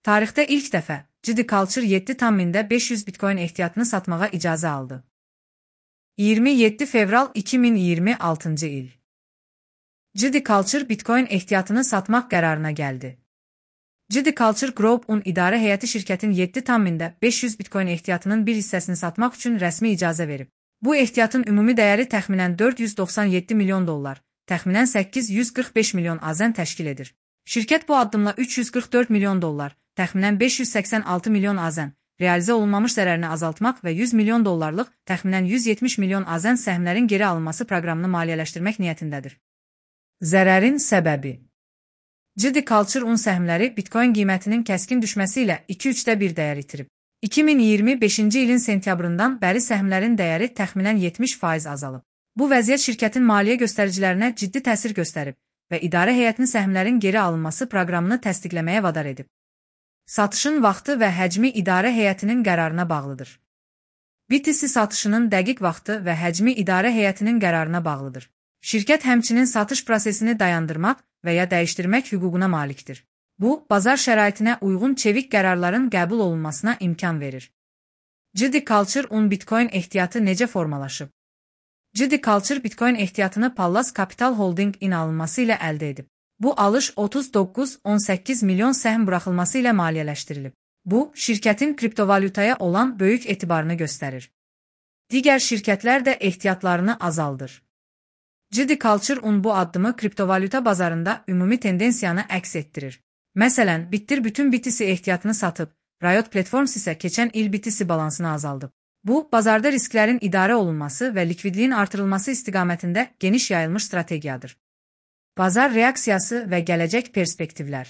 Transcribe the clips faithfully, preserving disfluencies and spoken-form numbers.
Tarixdə ilk dəfə Ciddi Culture yeddi tam mində beş yüz bitcoin ehtiyatını satmağa icazə aldı. iyirmi yeddi fevral iki min iyirmi altıncı il. Ciddi Culture bitcoin ehtiyatını satmaq qərarına gəldi. Ciddi Culture Group-un idarə heyəti şirkətin yeddi tam mində beş yüz bitcoin ehtiyatının bir hissəsini satmaq üçün rəsmi icazə verib. Bu ehtiyatın ümumi dəyəri təxminən dörd yüz doxsan yeddi milyon dollar, təxminən səkkiz yüz qırx beş milyon azən təşkil edir. Şirkət bu addımla üç yüz qırx dörd milyon dollar, təxminən beş yüz səksən altı milyon azən, realizə olunmamış zərərini azaltmaq və yüz milyon dollarlıq, təxminən yüz yetmiş milyon azən səhmlərin geri alınması proqramını maliyyələşdirmək niyyətindədir. Zərərin səbəbi Ciddi Culture-un səhmləri bitcoin qiymətinin kəskin düşməsi ilə iki üçdə bir dəyər itirib. iki min iyirmi beşinci ilin sentyabrından bəri səhmlərin dəyəri təxminən yetmiş faiz azalıb. Bu vəziyyət şirkətin maliyyə göstəricilərinə ciddi təsir göstərib və idarə heyətinin səhmlərin geri alınması proqramını təsdiqləməyə vadar edib. Satışın vaxtı və həcmi idarə heyətinin qərarına bağlıdır. B T C satışının dəqiq vaxtı və həcmi idarə heyətinin qərarına bağlıdır. Şirkət həmçinin satış prosesini dayandırmaq və ya dəyişdirmək hüququna malikdir. Bu, bazar şəraitinə uyğun çevik qərarların qəbul olunmasına imkan verir. Ciddi Culture-un bitcoin ehtiyatı necə formalaşıb? Ciddi Culture bitcoin ehtiyatını Pallas Capital Holding-in alınması ilə əldə edib. Bu alış otuz doqquz on səkkiz milyon səhm buraxılması ilə maliyyələşdirilib. Bu, şirkətin kriptovalyutaya olan böyük etibarını göstərir. Digər şirkətlər də ehtiyatlarını azaldır. Ciddi Culture-un bu addımı kriptovalyuta bazarında ümumi tendensiyanı əks etdirir. Məsələn, Bitter bütün B T C ehtiyatını satıb, Riot Platforms isə keçən il B T C balansını azaldıb. Bu, bazarda risklərin idarə olunması və likvidliyin artırılması istiqamətində geniş yayılmış strategiyadır. Bazar reaksiyası və gələcək perspektivlər.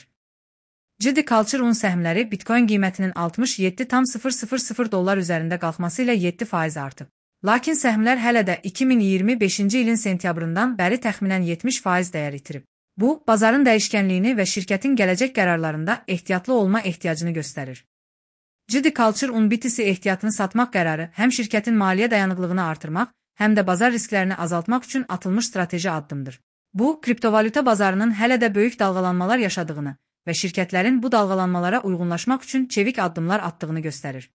Ciddi Culture-un səhmləri bitcoin qiymətinin altmış yeddi tam sıfır sıfır sıfır dollar üzərində qalxması ilə yeddi faiz artıb. Lakin səhmlər hələ də iki min iyirmi beşinci ilin sentyabrından bəri təxminən yetmiş faiz dəyər itirib. Bu, bazarın dəyişkənliyini və şirkətin gələcək qərarlarında ehtiyatlı olma ehtiyacını göstərir. Ciddi Culture-un B T C ehtiyatını satmaq qərarı həm şirkətin maliyyə dayanıqlığını artırmaq, həm də bazar risklərini azaltmaq üçün atılmış strateji addımdır. Bu, kriptovalyuta bazarının hələ də böyük dalğalanmalar yaşadığını və şirkətlərin bu dalğalanmalara uyğunlaşmaq üçün çevik addımlar atdığını göstərir.